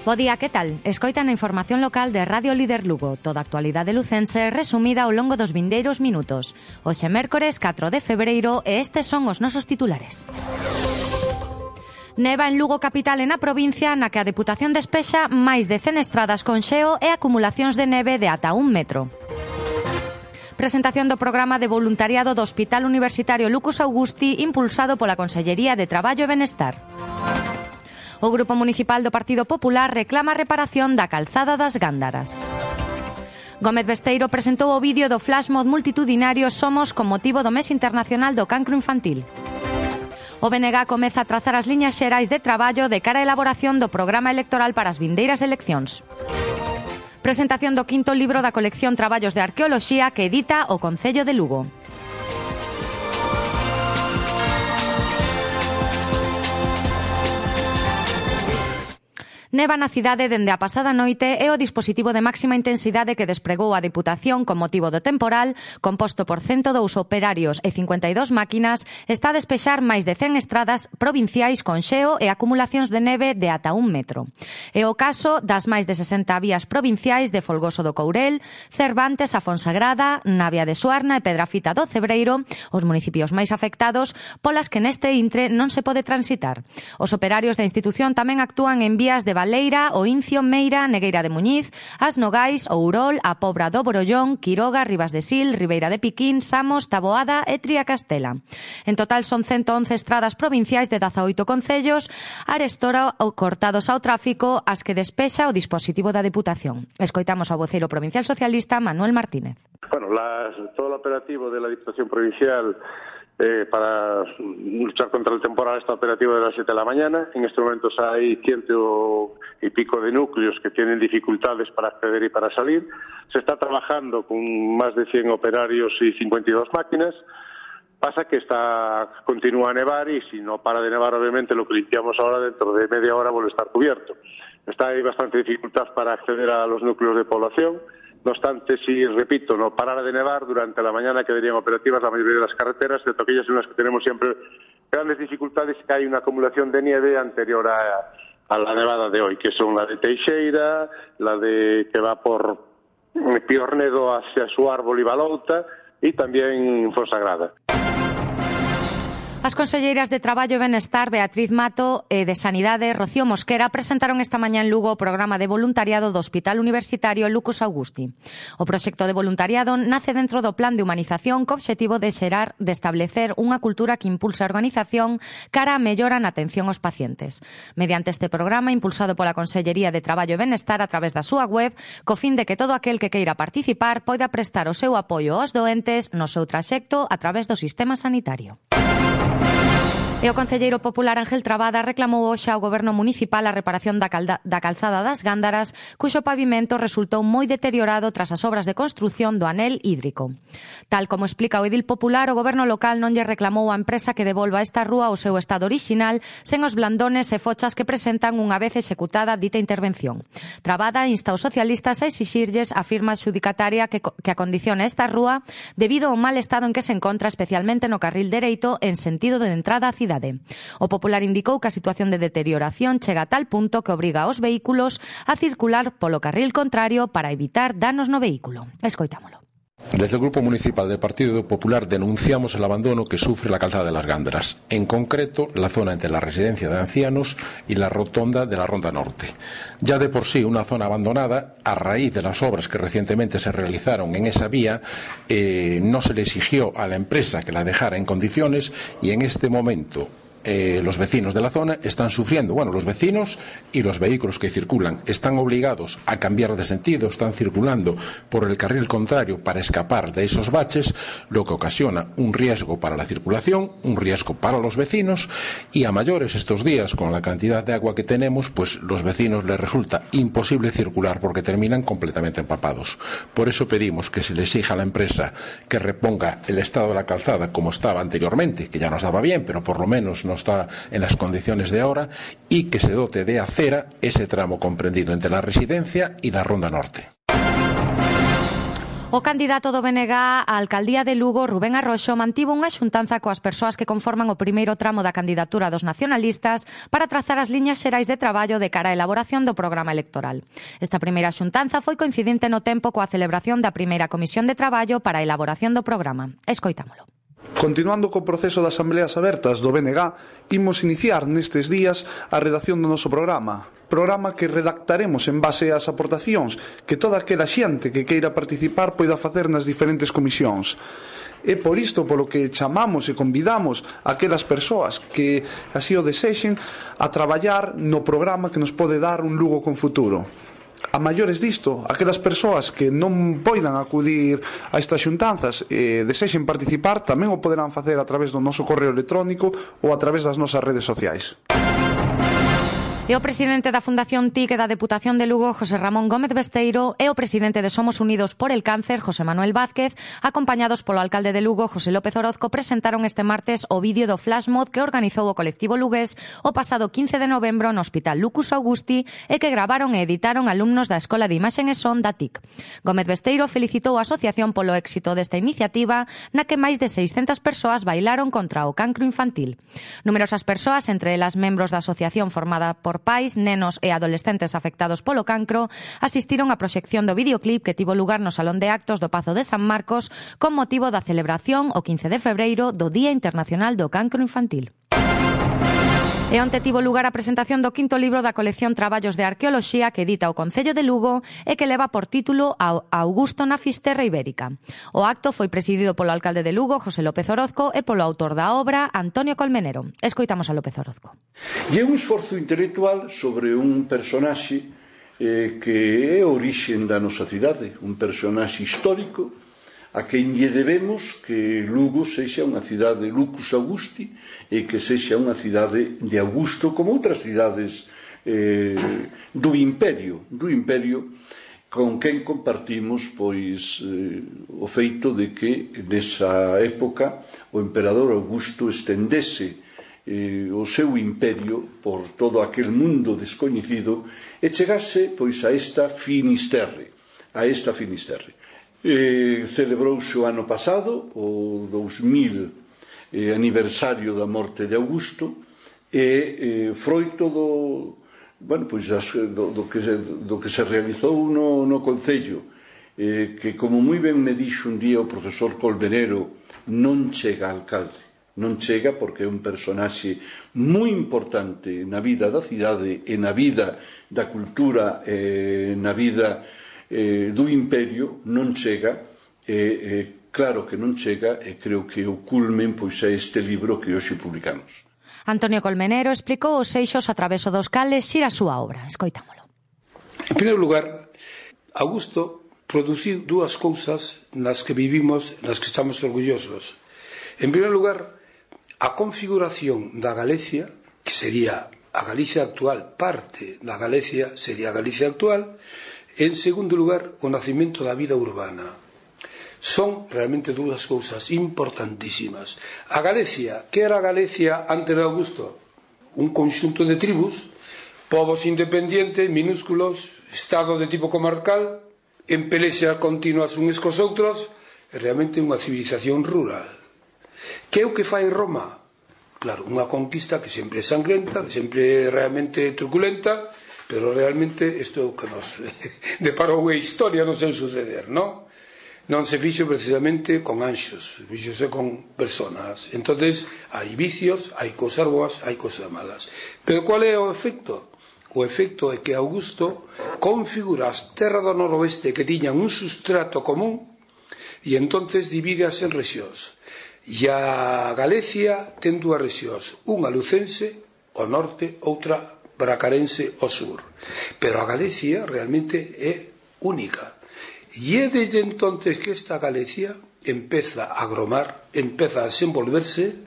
Bo día, que tal? Escoitan a información local de Radio Líder Lugo, toda a actualidade lucense resumida ao longo dos vindeiros minutos. Hoxe mércores 4 de febreiro e estes son os nosos titulares. Neva en Lugo capital e na provincia na que a Deputación despexa máis de 100 estradas con xeo e acumulacións de neve de ata 1 metro. Presentación do programa de voluntariado do Hospital Universitario Lucas Augusti impulsado pola Consellería de Traballo e Benestar. O Grupo Municipal do Partido Popular reclama a reparación da calzada das Gándaras. Gómez Besteiro presentou o vídeo do flashmob multitudinario Somos con motivo do Mes Internacional do Cancro Infantil. O BNG comeza a trazar as liñas xerais de traballo de cara á elaboración do programa electoral para as vindeiras eleccións. Presentación do quinto libro da colección Traballos de Arqueoloxía que edita o Concello de Lugo. Neva na cidade dende a pasada noite e o dispositivo de máxima intensidade que despregou a Deputación con motivo do temporal, composto por 102 operarios e 52 máquinas, está a despexar máis de 100 estradas provinciais con xeo e acumulacións de neve de ata 1 metro. É o caso das máis de 60 vías provinciais de Folgoso do Courel, Cervantes, a Fonsagrada, Navia de Suarna e Pedrafita do Cebreiro, os municipios máis afectados polas que neste intre non se pode transitar. Os operarios da institución tamén actúan en vías de Leira, o Incio, Meira, Negueira de Muñiz, As Nogais, Ourol, a Pobra do Borollón, Quiroga, Ribas de Sil, Ribeira de Piquín, Samos, Taboada e Triacastela. En total son 111 estradas provinciais de 18 concellos, arestora ou cortados ao tráfico as que despexa o dispositivo da Deputación. Escoitamos ao voceiro provincial socialista Manuel Martínez. Bueno, todo el operativo de la Diputación Provincial para luchar contra el temporal está operativo de las 7 de la mañana. En estos momentos hay 100 y pico de núcleos que tienen dificultades para acceder y para salir. Se está trabajando con más de 100 operarios y 52 máquinas. Pasa que continúa a nevar y si no para de nevar, obviamente, lo que limpiamos ahora dentro de media hora vuelve a estar cubierto. Hay bastante dificultad para acceder a los núcleos de población. No obstante, si, repito, no parara de nevar, durante la mañana quedarían operativas la mayoría de las carreteras, excepto aquellas en las que tenemos siempre grandes dificultades, que hay una acumulación de nieve anterior a la nevada de hoy, que son la de Teixeira, la de que va por Piornedo hacia su árbol y Balouta, y también Fonsagrada. As conselleiras de Traballo e Benestar, Beatriz Mato, e de Sanidade, Rocío Mosquera, presentaron esta mañá en Lugo o programa de voluntariado do Hospital Universitario Lucas Augusti. O proxecto de voluntariado nace dentro do plan de humanización co obxectivo de establecer unha cultura que impulse a organización cara a mellora na atención aos pacientes. Mediante este programa, impulsado pola Consellería de Traballo e Benestar a través da súa web, co fin de que todo aquel que queira participar poida prestar o seu apoio aos doentes no seu traxecto a través do sistema sanitario. E o concelleiro popular Ángel Trabada reclamou hoxe ao Goberno Municipal a reparación da calzada das Gándaras, cuxo pavimento resultou moi deteriorado tras as obras de construción do anel hídrico. Tal como explica o edil popular, o Goberno local non lle reclamou á empresa que devolva esta rúa ao seu estado orixinal sen os blandones e fochas que presentan unha vez executada dita intervención. Trabada insta aos socialistas a exixirlles a firma adxudicataria que acondicione esta rúa debido ao mal estado en que se encontra, especialmente no carril dereito en sentido de entrada á cidade. O Popular indicou que a situación de deterioración chega a tal punto que obriga aos vehículos a circular polo carril contrario para evitar danos no vehículo. Escoitámolo. Desde el Grupo Municipal del Partido Popular denunciamos el abandono que sufre la calzada de las Gándaras, en concreto la zona entre la residencia de ancianos y la rotonda de la Ronda Norte. Ya de por sí una zona abandonada, a raíz de las obras que recientemente se realizaron en esa vía, no se le exigió a la empresa que la dejara en condiciones y en este momento los vecinos de la zona están sufriendo. Bueno, los vecinos y los vehículos que circulan están obligados a cambiar de sentido, están circulando por el carril contrario para escapar de esos baches, lo que ocasiona un riesgo para la circulación, un riesgo para los vecinos, y a mayores estos días, con la cantidad de agua que tenemos, pues los vecinos les resulta imposible circular porque terminan completamente empapados. Por eso pedimos que se le exija a la empresa que reponga el estado de la calzada como estaba anteriormente, que ya nos daba bien, pero por lo menos no está en las condiciones de ahora, y que se dote de acera ese tramo comprendido entre la residencia y la Ronda Norte. O candidato do BNG á alcaldía de Lugo, Rubén Arroxo, mantivo unha xuntanza coas persoas que conforman o primeiro tramo da candidatura dos nacionalistas para trazar as liñas xerais de traballo de cara á elaboración do programa electoral. Esta primeira xuntanza foi coincidente no tempo coa celebración da primeira comisión de traballo para a elaboración do programa. Escoitámolo. Continuando co proceso das asambleas abertas do BNG, imos iniciar nestes días a redacción do noso programa que redactaremos en base ás aportacións que toda aquela xente que queira participar poida facer nas diferentes comisións. É por isto polo que chamamos e convidamos a aquelas persoas que así o desexen a traballar no programa que nos pode dar un Lugo con futuro. A maiores disto, aquelas persoas que non poidan acudir a estas xuntanzas e desexen participar tamén o poderán facer a través do noso correo electrónico ou a través das nosas redes sociais. E o presidente da Fundación TIC e da Deputación de Lugo, José Ramón Gómez Besteiro, e o presidente de Somos Unidos por el Cáncer, José Manuel Vázquez, acompañados polo alcalde de Lugo, José López Orozco, presentaron este martes o vídeo do flashmob que organizou o colectivo lugués o pasado 15 de novembro no Hospital Lucus Augusti e que gravaron e editaron alumnos da Escola de Imaxen e Son da TIC. Gómez Besteiro felicitou a asociación polo éxito desta iniciativa na que máis de 600 persoas bailaron contra o cancro infantil. Numerosas persoas, entre elas membros da asociación formada por pais, nenos e adolescentes afectados polo cancro, asistiron á proxección do videoclip que tivo lugar no Salón de Actos do Pazo de San Marcos con motivo da celebración o 15 de febreiro do Día Internacional do Cancro Infantil. E onte tivo lugar a presentación do quinto libro da colección Traballos de Arqueoloxía que edita o Concello de Lugo e que leva por título Augusto na Fisterra Ibérica. O acto foi presidido polo alcalde de Lugo, José López Orozco, e polo autor da obra, Antonio Colmenero. Escoitamos a López Orozco. E un esforzo intelectual sobre un personaxe que é a orixen da nosa cidade, un personaxe histórico a quen lle debemos que Lugo sexa unha cidade Lucus Augusti e que sexa unha cidade de Augusto como outras cidades do imperio con quen compartimos pois o feito de que nesa época o emperador Augusto estendese o seu imperio por todo aquel mundo descoñecido e chegase pois a esta Finisterre. Celebrouse o ano pasado o 2000 aniversario da morte de Augusto e froito do que se realizou no Concello que, como moi ben me dixo un día o profesor Colmenero, non chega alcalde, non chega porque é un personaxe moi importante na vida da cidade e na vida da cultura e na vida do imperio, non chega, claro que non chega, e creo que o culmen pois é este libro que hoxe publicamos. Antonio Colmenero explicou os eixos a través dos cales xira a súa obra. Escoitámolo. En primeiro lugar, Augusto produciu dúas cousas nas que vivimos, nas que estamos orgullosos. En primeiro lugar, a configuración da Galicia, que sería a Galicia actual, parte da Galicia sería a Galicia actual. En segundo lugar, o nacimento da vida urbana. Son realmente dúas cousas importantísimas. A Galicia, que era a Galicia antes de Augusto? Un conxunto de tribus, povos independientes, minúsculos, estado de tipo comarcal, en pelexa continuas uns cos outros, é realmente unha civilización rural. Que é o que fai Roma? Claro, unha conquista que sempre é sangrenta, que sempre é realmente truculenta, pero realmente isto que nos deparou a historia non se suceder, non? Non se fixo precisamente con anxos, fixose con personas. Entonces, hai vicios, hai cousas boas, hai cousas malas. Pero qual é o efecto? O efecto é que Augusto configura as terras do noroeste que tiñan un sustrato común e entonces divídeas en rexións. E a Galicia ten dúas rexións, unha lucense ao norte, outra bracarense ao sur. Pero a Galicia realmente é única. E é desde entonces que esta Galicia empeza a gromar, empeza a desenvolverse.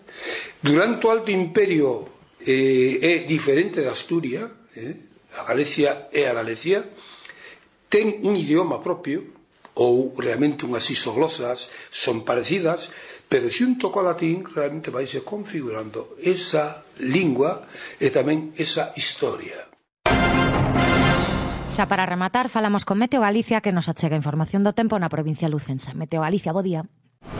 Durante o Alto Imperio é diferente de Asturias, a Galicia é a Galicia, ten un idioma propio, ou realmente unhas isoglosas son parecidas, pero xunto co latín realmente vaise configurando esa lingua e tamén esa historia. Xa para rematar, falamos con Meteo Galicia que nos achega información do tempo na provincia lucense. Meteo Galicia, bo día.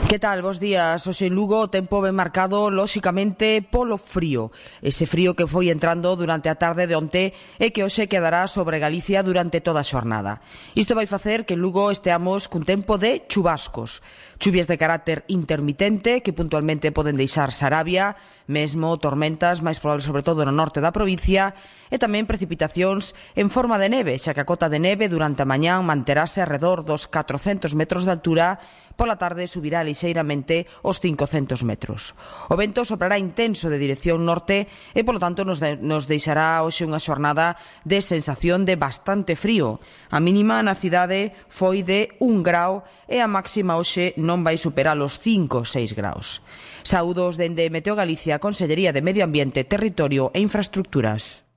Que tal? Bos días. Hoxe en Lugo o tempo ben marcado, lóxicamente, polo frío. Ese frío que foi entrando durante a tarde de onte e que hoxe quedará sobre Galicia durante toda a xornada. Isto vai facer que en Lugo esteamos cun tempo de chubascos. Chuvias de carácter intermitente que puntualmente poden deixar Sarabia, mesmo tormentas máis probables sobre todo no norte da provincia e tamén precipitacións en forma de neve, xa que a cota de neve durante a mañán manterase arredor dos 400 metros de altura. Pola tarde subirá lixeiramente os 500 metros. O vento soprará intenso de dirección norte e, polo tanto, nos deixará hoxe unha xornada de sensación de bastante frío. A mínima na cidade foi de 1 grau e a máxima hoxe non vai superar os 5 ou 6 graus. Saúdos dende Meteo Galicia, Consellería de Medio Ambiente, Territorio e Infraestructuras.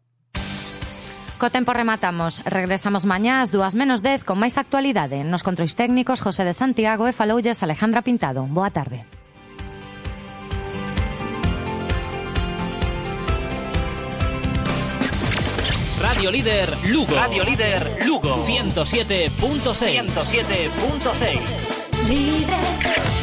Co tempo rematamos. Regresamos mañá ás 2:10 con máis actualidade. Nos controis técnicos José de Santiago e faloulles Alejandra Pintado. Boa tarde. Radio Líder Lugo. Radio Líder Lugo. 107.6. 107.6. Líder.